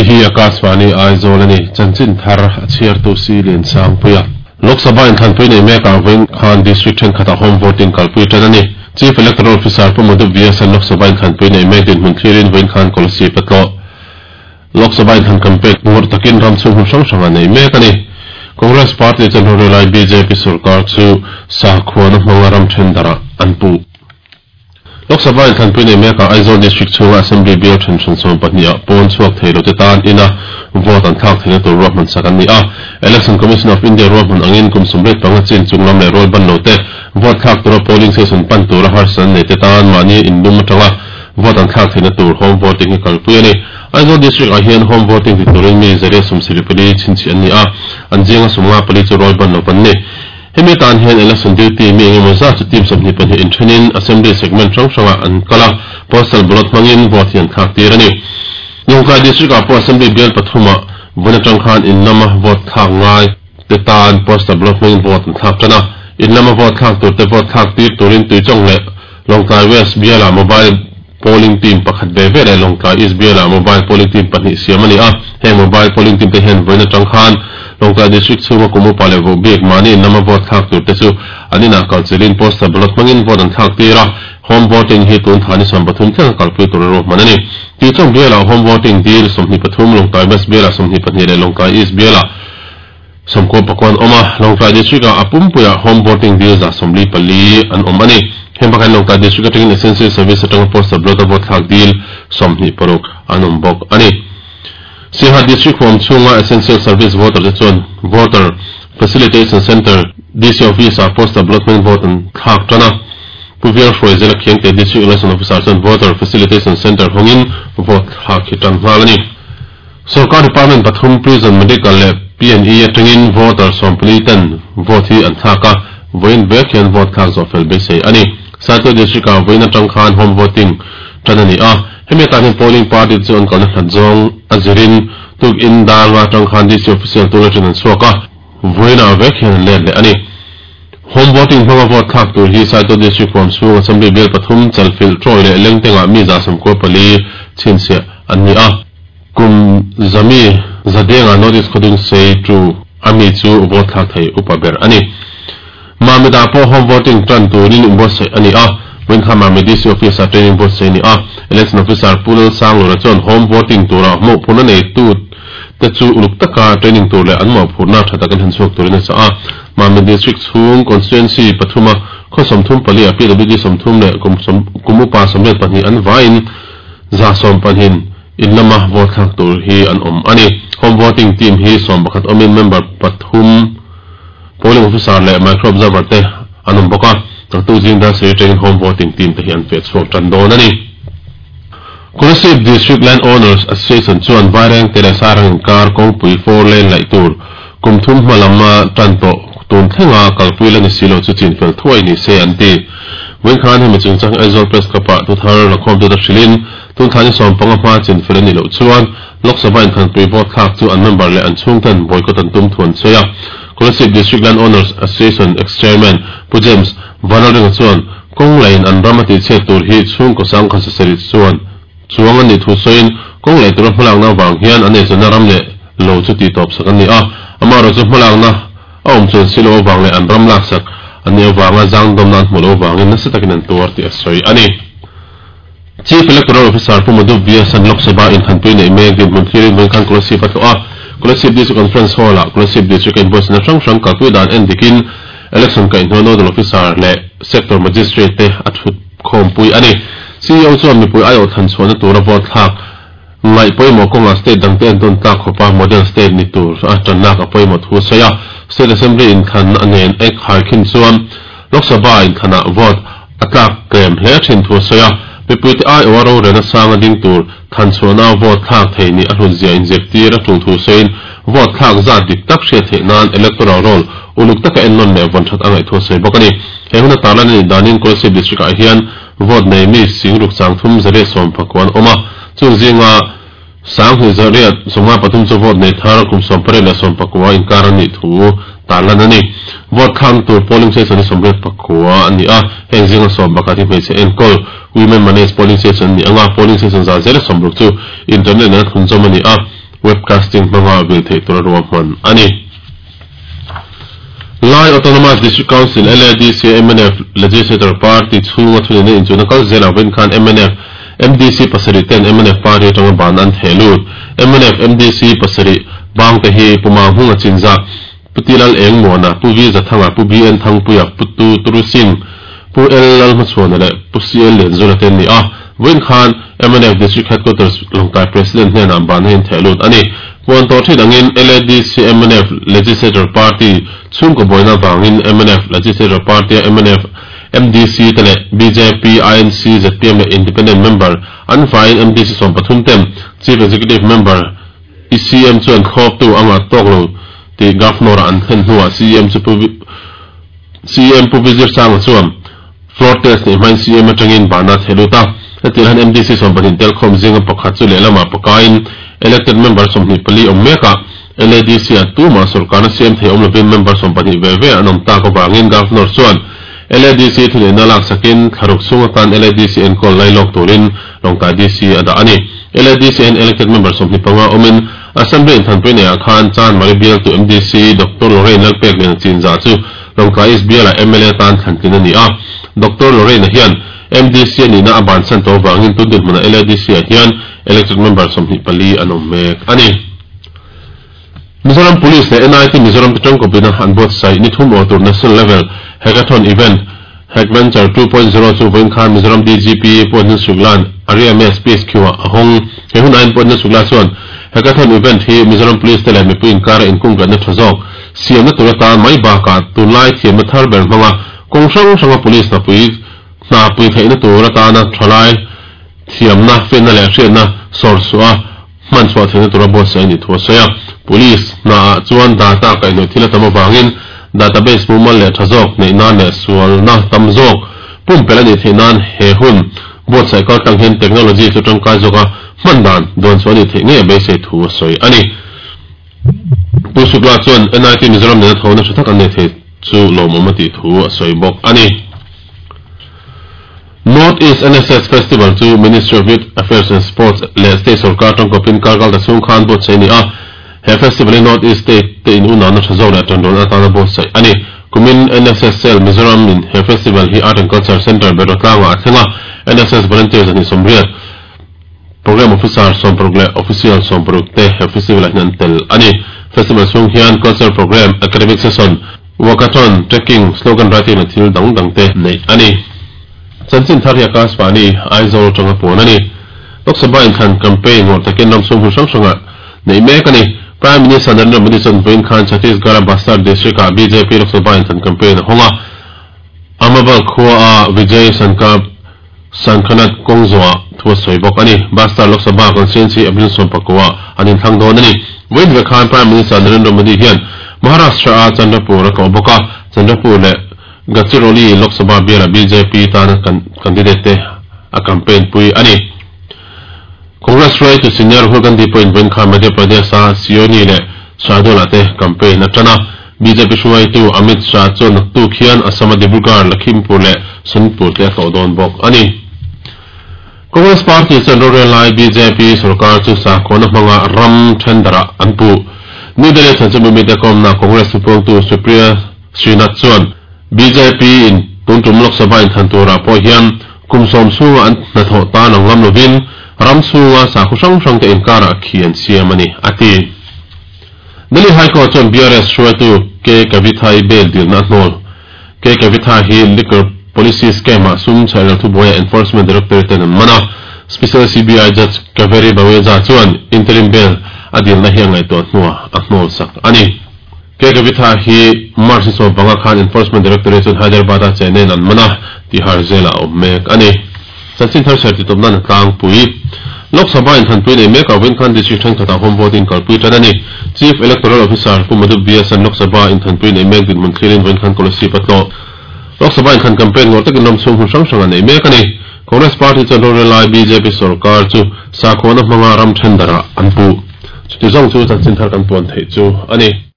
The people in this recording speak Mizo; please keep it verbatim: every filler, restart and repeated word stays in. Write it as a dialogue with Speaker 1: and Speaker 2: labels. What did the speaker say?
Speaker 1: Hei hi Akashvani Aizawl a ni. Chanchin thar a chhiartu si Lian Sangpuia. Lok Sabha inthlanpui nei mekah vawiin khan District thenkhatah home voting kalpui tan a ni. Chief Electoral Officer Pu Madhu V S an Lok Sabha inthlanpui nei mek dinhmun thlirin vawiin khan Kolasib a tlawh. Lok Sabha inthlan campaign ngawrh takin ram chhung hmun hrang hrang a nei mek a ni. Congress Party chuan rorelai B J P sorkar chu sakhuana hmanga ram then darah an puh. Lok Sabha inthlanpui nei mekah Aizawl District chhunga Assembly bial then hran sawm pahnih ah pawn chhuak thei lo te tan ina vote an thlak theihna tur ruahman sak an ni a. Election Commission of India ruahman angin kum sawmriat panga chin chung lam leh rual ban lo te vote thlak tura polling station pan tura harsatna an nei te tan mahni inlum atanga vote an thlak theihna tur home voting hi kalpui a ni. Aizawl District ah hian home voting ti turin mi zariat sawmsarih pali chhinchhi an ni a, an zinga sawmnga pali chu rual ban lo an ni. Hemi tan hian election duty mi engemaw zat chu team sawmhnih pahnih inthenin assembly segment hrang hrangah an kal a, postal ballot hmangin vote hi an thlak tir a ni. Lawngtlai District ah pawh assembly bial pathumah vawn atang khan in lama vote thlak ngai te tan postal ballot hmangin vote an thlak tan a, in lama vote thlak tur te vote thlak tir turin Tuichawng leh Lawngtlai West bialah mobile polling team pakhat ve ve leh Lawngtlai East bialah mobile polling team pahnih siam a ni a, heng mobile polling team te hian vawiin atang khan Lawngtlai District chhunga kum upa leh voh bik mahni in lama vote thlak tur te chu an inah kalchilhin postal ballot hmangin vote an thlak tir a, home voting hi tun thani sawm pathum thleng a kalpui tur a ruahman a ni. Tuichawng bialah home voting dil sawmhnih pathum, Lawngtlai West bialah sawmhnih pahnih leh Lawngtlai East bialah sawmkua pakua an awm a, Lawngtlai District ah a pumpuiah home voting dil za sawmli pali an awm a ni. Heng bakah hian Lawngtlai District atangin Essential Service atanga postal ballot a vote thlak dil sawmhnih paruk an awm bawk a ni. Siaha District huam chhunga Essential Service voter te chuan Voter Facilitation Centre, D C Office ah postal ballot hmangin vote an thlak tan a. Pu Vial Hruaizela Khiangte District Election Officer chuan Voter Facilitation Centre hawngin vote thlak hi tan nghal a ni. Sorkar Department pathum Prison, Medical leh P and E atangin voter sawmpali ten vote hi an thlak a, vawiin vek hian vote thlak zawh fel beisei a ni. Saitual District ah vawiin atang khan home voting tan a ni a, hemi atan hian polling party chu an kalna hlat zawng a zirin tuk in dar nga atang khan D C official tur atang an chhuak a, vawiin ah vek hian an let leh a ni. Home voting hmanga vote thlak tur hi Saitual District huam chhung Assembly bial pathum Chalfilh Troy leh Lengtengah mi za sawmkua pali chhinchhiah an ni a. Kum zami zadenga North East Khawdung sei tu ami chu vote thlak thei upa ber a ni. Mamita pawh home voting tan turin inbuatsaih a ni a, vawiin khan Mami D C Office ah training buatsaih a ni a, Election Officer Pu Lalsanglura chuan home voting tura mawhphurhna neitu te chu uluk taka training tur leh an mawhphurhna tha takin han chhuak turin a chah a. Mami District chhung constituency pathuma khaw sawmthum pali ah P W D sawmthum leh kum sawm kum upa sawmriat pahnih an vaiin za sawm pahnih in lama vote thlak tur hi an awm a ni. Home voting team hi sawm pakhat awmin member pathum polling officer leh micro observer te an awm bawk a, taktu zing dan seri atangin home voting team te hi an feh chhuak tan dawn a ni. Kolasib District Land Owners Association chuan Vaireng te leh Sarang inkar kawngpui four lane laih tur kum thum hma lama tan tawh tun thlenga kalpui la ni si lo chu chin fel thuai ni se an ti. Vawiin khan hemi chungchang Aizawl Press Club ah thuthar lakhawm tu ta hrilhin tun thani sawm panga hma chin fel a ni loh chuan Lok Sabha inthanpui vote thlak chu an member leh an chhungten boycott an tum thu an sawi a. Kolasib District Land Owners Association ex-chairman Pu James Vanlalringa chuan kawng lain an ram a tihchhiat tur hi chhungkaw sangkhat sasarih chuan chuang an nih thu sawiin kawng lei tura hmalakna avang hian an eizawnna ram leh lo chu tih tawp sak an ni a, amaherawhchu chu hmalakna a awm chuan si lo avang leh an ram laksak an nih avanga zangdawmna an hmuh loh avangin nasa takin an tuar tih a sawi a ni. Chief Electoral Officer Pu Madhu V S an Lok Sabha inthanpui nei mek dinhmun thlirin vawiin khan Kolasib a tlawh a, Kolasib District Conference Hall ah Kolasib District a inbuatsaihna hrang hrang kalpui dan en dikin Election kaihhnuai Nodal Officer leh Sector Magistrate te a thut khawmpui a ni. C E O chuan mipui aiawh than chhuahna tura vote thlak ngaih pawimawh kawngah state dangte an tawn tlak khawpa model state ni tur a tanlak a pawimawh thu a sawi a, State Assembly inthan a nen ek hai khin chuan Lok Sabha inthanah vote a tlak tlem hle thin thu a sawi a, mipui te aiawh a rorelna sang a ding tur than chhuahna vote thlak thei ni a hlut zia inzirtir a tul thu sawiin vote thlak zat dik tak hriat theih nan electoral roll uluk taka en nawn leh vawn that a ngaih thu a sawi bawk a ni. He hun a tarlan a nih danin Kolasib District ah hian vote nei mi singruk chang thum zariat sawm pakua an awm a, chung zinga sanghnih zariat sawmnga pathum chu vote nei thar kum sawm pariat leh sawm pakua inkar a nih thu tarlan a ni. Vote thlak tur polling station hi sawmriat pakua a ni a, heng zinga sawm pakhat hi hmeichhe enkawl women managed polling station a ni anga, polling station za zela sawmruk chu internet nena thunzawm a ni a, webcasting hmanga vil theih tura ruahman a ni. Lai Autonomous District Council L A D C M N F Legislator Party chhunga thuneihna inchuhna kal zelah vawiin khan M N F M D C pasarih ten M N F party atanga ban an theh lut. M N F M D C pasarih bang te hi Pu Manghunga Chinza, Pu Tilal Engmuana, Pu V Zathanga, Pu B N Thangpuia, Pu Tu Turu Singh, Pu L Lal Hmachhuana leh Pu C L Lianzula te an ni a. Vawiin khan M N F District Headquarters Lawngtlai President hnenah ban a intheh lut a ni. Puan tawh thin angin L A D C M N F Legislator Party chhungkaw buaina vangin M N F Legislator Party a M N F M D C te leh B J P, I N C, Z P M leh Independent Member an faiin M D C sawm pathum ten Chief Executive Member I C M chuan thlawptu anga tawk lo tih Governor-a an thlen hnuah C M chu Pu C M Pu Vizir Sanga chuan floor test neih hmain C M atangin bana theh lut a. Hetiang hian M D C sawm pahnih tel khawm zinga pakhat chu lehlamah pakain elected member sawmhnih pali awm mekah L A D C a tumah sorkarna C M thei awm lovin member sawm pahnih ve ve an awm tak avangin Governor chuan L A D C thuneihna lak sakin thlaruk chhung atan L A D C enkawl lai lawk turin Lawngtlai D C a dah a ni. L A D C hian elected member sawmhnih panga awmin Assembly inthanpui neihah khan Chan Mari bialtu M D C Doctor Lorraine Lalpekliana Chinzah chu Lawngtlai East bialah M L A tan thlantlin a ni a. Doctor Lorraine-a hian M D C a nihna a bansan tawh avangin tun dinhmunah L A D C-ah hian elected member sawmhnih pali an awm mek a ni. Mizoram Police leh N I T Mizoram te tangkawpina an buatsaih ni thum aw tur National Level Hackathon Event Hackventure two point zero chu vawiin khan Mizoram D G P Pu Anil Shukla-a'n Area M S P S Q-ah a hawng. He hun aiin Pu Anil Shukla chuan Hackathon event hi Mizoram Police te leh mipui inkara inkungkatna tha zawk siamna tur atan mai bakah tunlai thiamna thar ber hmanga kawng hrang hranga police hnapui hnapui theihna tur atana thalai thiamna fenna leh hriatna sawr suah hman chhuah theihna tura buatsaih a ni thu a sawi a. Police hnaah chuan data kaihhnawih thil a tam avangin database mumal leh tha zawk neih nan leh sualna tam zawk pumpelh a nih theih nan he hun buatsaih kal tlang hian technology chu tangkai zawka hman dan duan chu a nih theih ngei a beisei thu a sawi a ni. Pu Shukla chuan N I T Mizoram nena thawhna tha tak an nei thei chu lawmawm a tih thu a sawi bawk a ni. North East N S S Festival chu Ministry of Youth Affairs and Sports leh State Sarkar tangkawpin karkal ta chhung khan buatsaih a ni a. He festival hi North East State te in unauhna tha zawk leh tanrawn atana buatsaih a ni. Kumin N S S Cell Mizoram in he festival hi Art and Culture Centre Berotlang-ah a thleng a. N S S Volunteers ani sawmriat, Program Officer sawmparuk leh Official sawmparuk te he festival-ah hian an tel a ni. Festival chhung hian Culture Program, Academic Session, Walkathon, Trekking, Slogan Writing leh thil dang dang te neih a ni. Chanchin thar hi Akashvani, Aizawl atanga puan a ni. Lok Sabha inthlan campaign ngawrh takin ram chhung hmun hrang hrangah neih mek a ni. Prime Minister Narendra Modi chuan vawiin khan Chhattisgarh-a Bastar District-ah B J P Lok Sabha inthlan campaign a hawng a. Amabal khua-a Vijay Sankap Sankhanat kawng zawhah thu a sawi bawk a ni. Bastar Lok Sabha constituency April sawm pakua an inthlang dawn a ni. Vawiin ve khan Prime Minister Narendra Modi hian Maharashtra-a Chandrapur a kawh bawk a. Chandrapur leh Gadchiroli Lok Sabha bialah B J P tana candidate te a campaign pui a ni. Congress hruaitu Senior Rahul Gandhi pawhin vawiin khan Madhya Pradesh-a Sioni leh Shahdol-ah te campaign a tan a. B J P hruaitu Amit Shah chuan naktuk hian Assam-a Dibrugarh, Lakhimpur leh Sonitpur te a tlawh dawn bawk a ni. Congress Party chuan rorel lai B J P sarkar chu sakhawana hmanga ram thendarah an puh. New Delhi chanchinbu mite kawmna Congress thupuangtu Supriya Srinath chuan B J P in tuntum Lok Sabha inthan turah pawh hian kum sawm chhunga an hnathawh tan ang ngam lovin ram chhunga sakhaw hrang hrang te inkarah khi an siam a ni a ti. Delhi High Court chuan B R S hruaitu K Kavitha-i bail dilna a hnawl. K Kavitha hi liquor policy scam-ah sum chhaihral thubuaia Enforcement Directorate ten an man a. Special C B I Judge Kaveri Baweja chuan interim bail a dilna hi a ngaihtuah hnuah a hnawl sak a ni. K Kavitha hi March ni sawm panga khan Enforcement Directorate chuan Hyderabad-a chenin an man a, Tihar jail-ah a awm mek a ni. Chanchin thar ser ti tawpna na tlangpui. Lok Sabha inthanpui nei mek a vawiin khan district thenkhatah home voting kalpui tan a ni. Chief Electoral Officer Pu Madhu B S an Lok Sabha inthanpui nei mek dinhmun thlirin vawiin khan Kolasib a tlawh. Lok Sabha inthan campaign ngawrh takin ram chhung hmun hrang hrang a nei mek a ni. Congress Party chuan rorel lai B J P sarkar chu sakhawana hmanga ram thendarah an puh. Chuti zawng chu chanchin thar kan puan theih chu a ni.